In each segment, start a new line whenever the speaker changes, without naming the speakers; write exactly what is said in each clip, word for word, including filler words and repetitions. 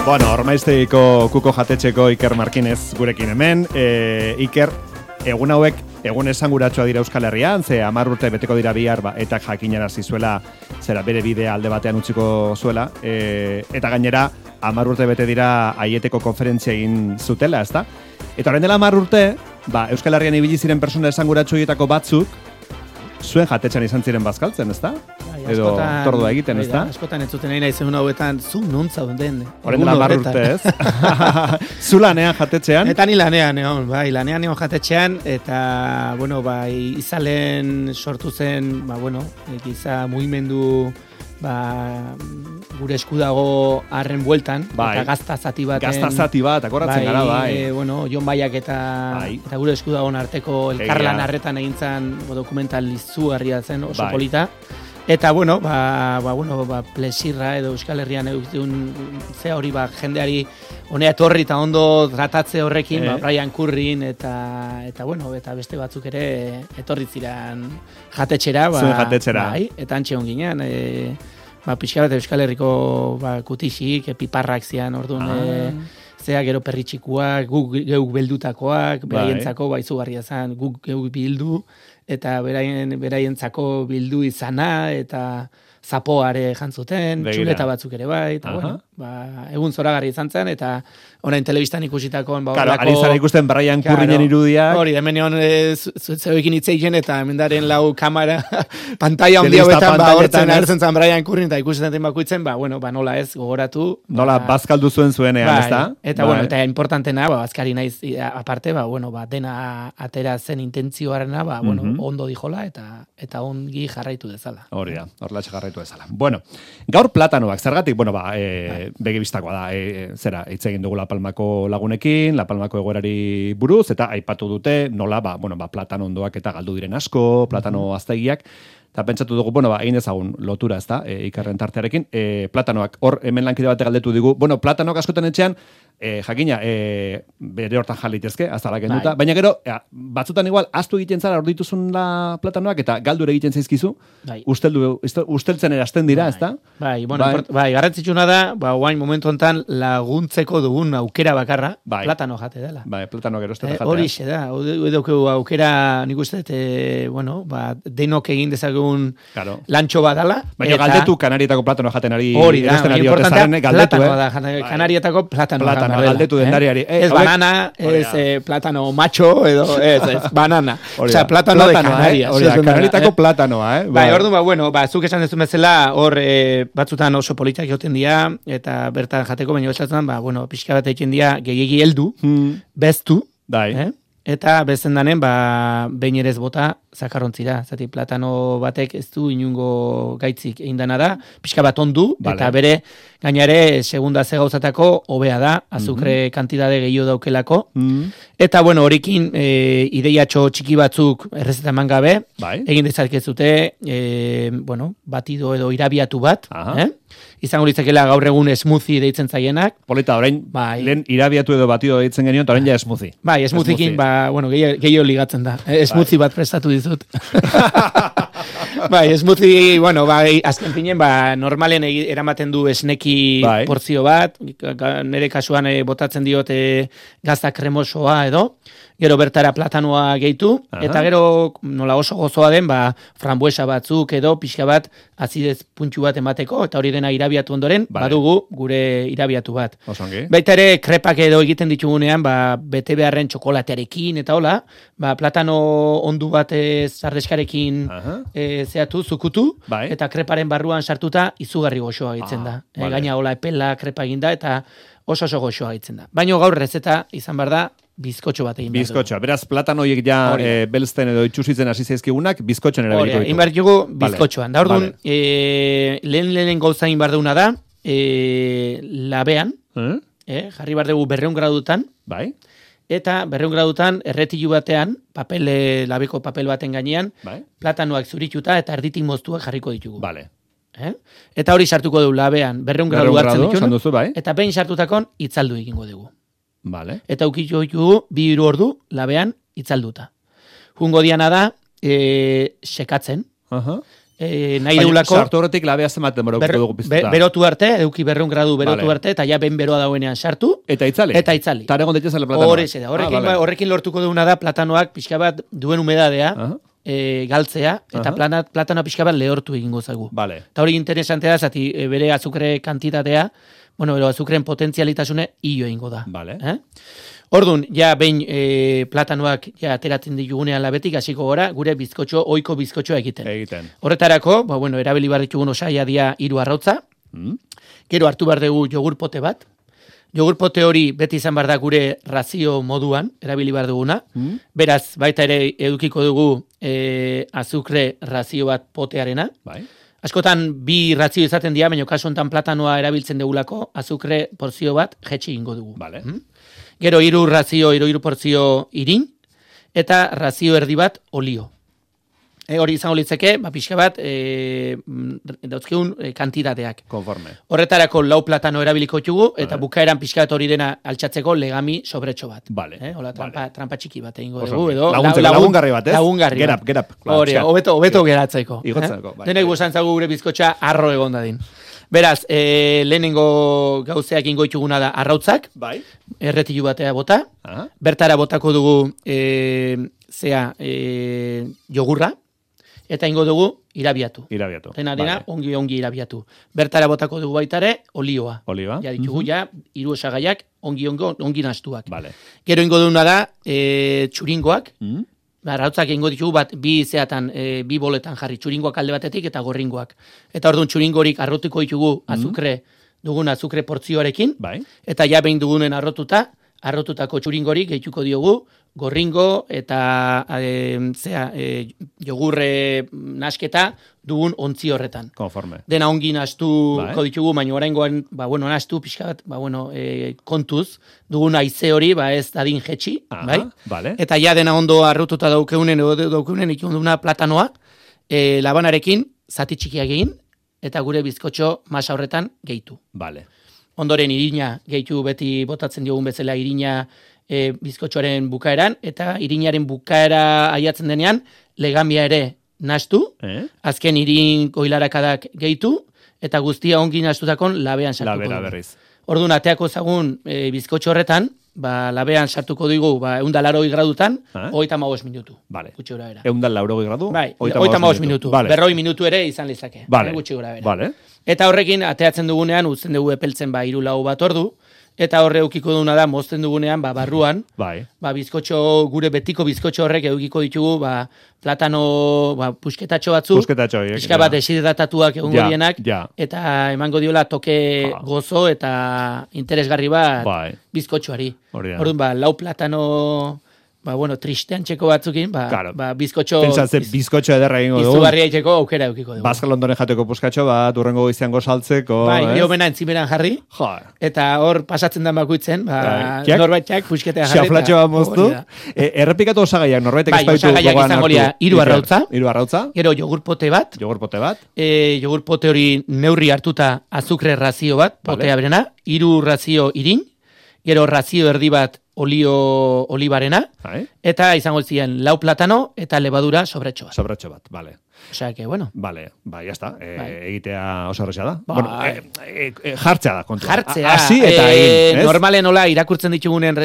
Bueno, Ormaiztegiko kuko jatetxeko Iker Markinez gurekin hemen. E, Iker, egun hauek, egun esanguratsua dira Euskal Herrian, ze hamar urte beteko dira bihar, ba, eta jakinarazi zuela, zera bere bidea alde batean utziko zuela, e, eta gainera, hamar urte bete dira Aieteko konferentzia egin zutela, ezta? Eta orain dela hamar urte, ba, Euskal Herrian ibili ziren persona esanguratsuetako batzuk, zuen jatetxan izan ziren bazkaltzen, ezta?
Bai,
edo
askotan,
tordua egiten, ezta?
Askotan ez zuten nahi naizen hauetan, zu nuntza den.
Orain dela hamar urte, ez? Zu lanean jatetxean?
Eta ni lanean egon, bai, lanean egon jatetxean, eta, bueno, bai, izalen sortu zen, ba, bueno, giza mugimendu, ba, gure esku dago harren bueltan,
bai.
Eta gazta zati baten.
Gazta zati bat, akoratzen
bai,
gara, bai.
E, bueno, Jon Baiak eta,
bai.
eta gure esku dagoen arteko elkarlan harretan egintzan dokumental izugarria zen, oso
bai.
polita. Eta, bueno, ba, ba, bueno, ba, plesirra edo Euskal Herrian egun zea hori, ba, jendeari honea etorri eta ondo tratatze horrekin, eh? Ba, Brian Currin eta, eta, bueno, eta beste batzuk ere etorri ziren jatetxera. Ba,
zuen jatetxera.
Bai, eta antxe onginean, e, ba, pixka bat Euskal Herriko ba, kutixik, piparrak zian, orduan, ah. e, zea gero perritxikuak, guk geuk beldutakoak, beraientzako bai. Baizugarria zen, guk geuk bildu, eta beraien beraientzako bildu izana, eta zapoare jantzuten, txuleta batzuk ere bai, eta bueno, ba, egun zoragarri izan zen, eta orain telebistan ikusitakoan, ba,
claro, ari zara ikusten Brian Currinen irudiak.
Hori, hemen egon zeuekin itzeiken, eta hemendaren lau kamera, pantalla ondia betan, ba, hortzen agertzen zen Brian Currin, eta ikusten zen bakuitzen, ba, bueno, ba, nola ez, gogoratu.
Nola, ba, bazkaldu zuen zuenean,
bai,
ez da?
Eta, bai. Bueno, eta importantena, ba, bazkari naiz, aparte, ba, bueno, ba, dena atera zen intentzioarena, ba, bueno, mm-hmm. ondo dijola, eta eta ongi jarraitu dezala.
Hori da, horlatxe jarraitu dezala. Bueno, gaur platanoak, zergatik, bueno, ba, e, begi bistakoa da, e, zera, hitz egin dugu La Palmako lagunekin, La Palmako egoerari buruz, eta aipatu dute, nola, ba, bueno, ba, platano ondoak eta galdu diren asko, platano mm-hmm. aztegiak, eta pentsatu dugu, bueno, ba, egin ezagun lotura, ez da, e, Ikarren tartearekin, e, platanoak, hor, hemen lankide bate galdetu digu, bueno, platanoak askotan etxean, E, jakina, e, bere hortan jalitezke, azalak enduta, bai. Baina gero, e, batzutan igual, aztu egiten zara hor dituzun la platanoak, eta galdure egiten zaizkizu, bai. usteldu, usteltzen erazten dira, bai. Ez da?
Bai, bueno, bai, bai garrantzitsuna da, ba, guain momentu hontan laguntzeko dugun aukera bakarra, bai. Platano jate dela.
Bai, platano gero estete jatea.
Hori xe da, edukeu aukera, nik uste, e, bueno, ba, denok egin dezagun claro. Lantxo badala.
Baina eta... galdetu kanarietako platano jaten ari,
hori da, importantea,
platano
da, kanarietako platano.
Platano, galdetu dendariari.
Eh? Ez banana, ez eh, platano macho, edo ez, ez, banana. Osea, platano, platano de Canarias.
Hori da, Canarietako eh? platanoa, eh?
Bai, orduan, ba, bueno, ba, zuk esan dezun bezala, hor eh, batzutan oso politak joten dira, eta bertan jateko, baina bezatzen, ba, bueno, pixka bat egiten dira, gehiagi heldu, hmm. beztu,
bai.
Eh? Eta bezen danen, ba, behin ere ez bota, zakarrontzira. Zati, platano batek ez du inungo gaitzik egin dana da, pixka bat ondu, vale. Eta bere, gainare, segunda ze gauzatako, hobea da, azukre mm-hmm. kantidade gehiago daukelako. Mm-hmm. Eta, bueno, horikin, e, ideiatxo txiki batzuk errezeta eman gabe, bai. Egin dezakezute, e, bueno, batido edo irabiatu bat, eh? Izango litzakela gaur egun smoothie deitzen zaienak.
Polita, orain, bai. Lehen irabiatu edo batido deitzen genioen, eta orain ja smoothie.
Bai, smoothiekin, smoothie. Ba, bueno, gehiago ligatzen da. Smoothie bai. Bat prestatu dizut. Bai, smoothie, bueno, bai, azken finen, ba, normalen eramaten du esneki bai. Porzio bat, nire kasuan e, botatzen diote gazta kremosoa edo, gero bertara platanoa gehitu, aha. Eta gero nola oso gozoa den, ba, frambuesa batzuk edo pixka bat azidez puntxu bat emateko, eta hori dena irabiatu ondoren, vale. Badugu gure irabiatu bat.
Osongi.
Baita ere, krepak edo egiten ditugunean, ba, bete beharren txokolatearekin eta hola, ba, platano ondu bat zardeskarekin e, zeatu, zukutu, bai. Eta kreparen barruan sartuta izugarri goxoa egiten ah, da. E, vale. Gaina hola epela krepa eginda eta oso oso goxoa egiten da. Baina gaur rezeta izan behar da, bizkotxo bat egin behar du.
Bizkotxoa, beraz platanoiek ja e, belzten edo itxusitzen hasi zaizkigunak, bizkotxoan erabeliko ditu.
Egin behar dugu bizkotxoan. Da orduan, vale. e, lehen lehen gauza egin behar duguna da, e, labean, eh? E, jarri behar dugu berreun gradutan,
bai.
Eta berreun gradutan erretilu batean, papel, labeko papel baten gainean, bai. Platanoak zurituta eta erditik moztuak jarriko ditugu.
Vale.
Eh? Eta hori sartuko du labean, berreun gradu hartzen ditugu,
duzu, bai.
Eta behin sartutakon itzaldu egingo dugu.
Vale.
Eta ukitxo ditugu, bi hiru ordu labean itzalduta. Jungo diana da, e, sekatzen,
Aha.
E, nahi deulako...
Sartu horretik labea zenbat denbora
ber,
dugu piztuta.
Be, berotu arte, eduki berreun gradu berotu
vale.
arte, eta ja ben beroa dauenean sartu.
Eta itzali?
Eta itzali.
Eta egon daitezale platanoak.
Horrekin, ah, vale. horrekin lortuko duguna da platanoak pixka bat duen humedadea, uh-huh. e, galtzea, eta uh-huh. platanoa pixka bat lehortu egingo zagu.
Vale.
Eta hori interesantea da, zati e, bere azukre kantitatea, bueno, bero azukren potentzialitasune hilo egingo da.
Vale.
Eh? Orduan, ja behin e, platanoak ja ateratzen ditugunean labetik, hasiko gora, gure bizkotxo, oiko bizkotxoa egiten.
Egiten.
Horretarako, ba, bueno, erabili behar ditugun osaia dia hiru arrautza, mm. gero hartu behar dugu jogurpote bat, jogurpote hori beti izan behar da gure razio moduan, erabili behar duguna, mm. beraz, baita ere edukiko dugu e, azukre razio bat potearena,
bai.
Askotan bi razio izaten dira, baina kasu honetan platanoa erabiltzen dugulako, azukre porzio bat jetxi ingo dugu.
Vale.
Mm? Gero hiru razio, hiru hiru porzio irin, eta razio erdi bat olio. E, hori izango litzeke, ba, pixka bat, e, dauzkeun e, kantitateak.
Konforme.
Horretarako lau platano erabiliko txugu, eta bukaeran pixka bat hori dena altxatzeko legami sobretxo bat.
Vale.
Eh? Hola, trampa,
vale.
trampa txiki bat egingo dugu. Edo,
lagun,
lagun,
lagungarri bat, ez?
Lagungarri
Gerap, gerap.
Hori, hobeto, hobeto geratzeko.
Igotzeko.
Eh? Bai, denek guzan zagu gure bizkotxa arro egon dadin. Beraz, e, lehenengo gauzeak ingo itxuguna da arrautzak,
bai.
Erretilu batea bota, aha. Bertara botako dugu e, zea e, jogurra, eta ingo dugu irabiatu.
Irabiatu.
Dena dena, vale. ongi ongi irabiatu. Bertara botako dugu baitare olioa.
Olioa.
Ja ditugu uh-huh. ja hiru osagaiak ongi ongi ongi nastuak.
Vale.
Gero ingo duguna da e, txuringoak.
Uh-huh.
Arrautzak ingo ditugu bat bi zeatan, e, bi boletan jarri, txuringoak alde batetik eta gorringoak. Eta orduan txuringorik arrotuko ditugu azukre, dugun azukre portzioarekin, bai. Eta ja behin dugunen arrotuta, arrotutako txuringorik gehituko diogu, gorringo eta e, zea, e, jogurre nasketa dugun ontzi horretan.
Konforme.
Dena ongi nastuko bai. Ditugu, baina oraingoan, ba, bueno, nastu pixka bat, ba, bueno, e, kontuz, dugun haize hori, ba, ez dadin jetxi, aha, bai?
Vale.
Eta ja dena ondo arrotuta daukeunen, edo daukeunen ikunduna platanoa, e, labanarekin, zati txikiak egin, eta gure bizkotxo masa horretan gehitu.
Vale.
Ondoren irina gehitu beti botatzen diogun bezala irina e, bizkotxoaren bukaeran, eta irinaren bukaera aiatzen denean, legamia ere nastu, eh? Azken irin goilarakadak gehitu, eta guztia ongi nastutakon labean sartuko dugu. Labera berriz. Orduan, ateako zagun e, bizkotxo horretan, ba, labean sartuko dugu, ba, eunda laroi gradutan, eh? Oita magoz minutu. Vale. Gutxi gura bera. Eunda laroi gradu? Bai, oita magoz minutu. Vale. Berroi minutu ere izan lezake. Vale. Gutxi gura bera. Vale. Eta horrekin, ateatzen dugunean, utzen dugu epeltzen ba, iru lau bat ordu, eta horre eukiko duguna da, mozten dugunean, ba, barruan, bai. Ba, bizkotxo, gure betiko bizkotxo horrek eukiko ditugu, ba, platano, ba, pusketatxo batzu, pusketatxo, pixka bat esidratatuak egun ja, gorienak, ja. Eta emango diola toke ba. Gozo eta interesgarri bat bai. Bizkotxoari. Orduan, ba, lau platano... Ba, bueno, tristean txeko batzukin, ba, claro. Ba bizkotxo... Pentsatzen, bizkotxo ederra egingo dugu. Izugarria itxeko aukera eukiko dugu. Bazka Londonen jateko puskatxo bat, urrengo izango saltzeko... Bai, eh? Niobena entzimeran jarri, jo. Eta hor pasatzen da bakuitzen, ba, norbaitxak pusketea jarri. Xaflatxo bat moztu. E, errepikatu osagaiak, norbaitek bai, espaitu gogoan hartu. Bai, osagaiak izango lia, hiru arrautza. Hiru arrautza. Gero jogurpote bat. Jogurpote bat. E, jogurpote hori neurri hartuta azukre razio bat, vale. Potea berena. Hiru razio irin. Gero razio erdi bat olio olibarena, hai. Eta izango ziren lau platano eta levadura sobretxo bat. Sobretxo bat, vale. Osea, que bueno. Vale, ba, ya está. E, bai. Egitea oso horreza da. Ba, bueno, e, e, e, jartzea da, kontua. Jartzea. Asi eta e, egin, ez? Normalen nola irakurtzen ditugunen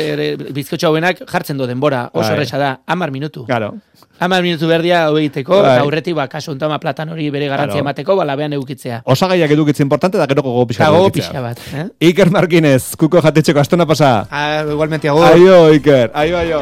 bizkotxo hauenak jartzen do denbora. Oso horreza da, hamar minutu. Claro. Hamar minutu berdia hau egiteko, eta aurretik, ba, kaso ontama platan hori bere garantzia claro. Emateko, ba, labean edukitzea. Osagaiak edukitzea importante, da gero gogo pixka bat. Gogo pixka bat. Eh? Iker Marquinez, kuko jatetxeko, astona pasa. Ah, igualmente, agur. Aio, Iker. Aio, aio.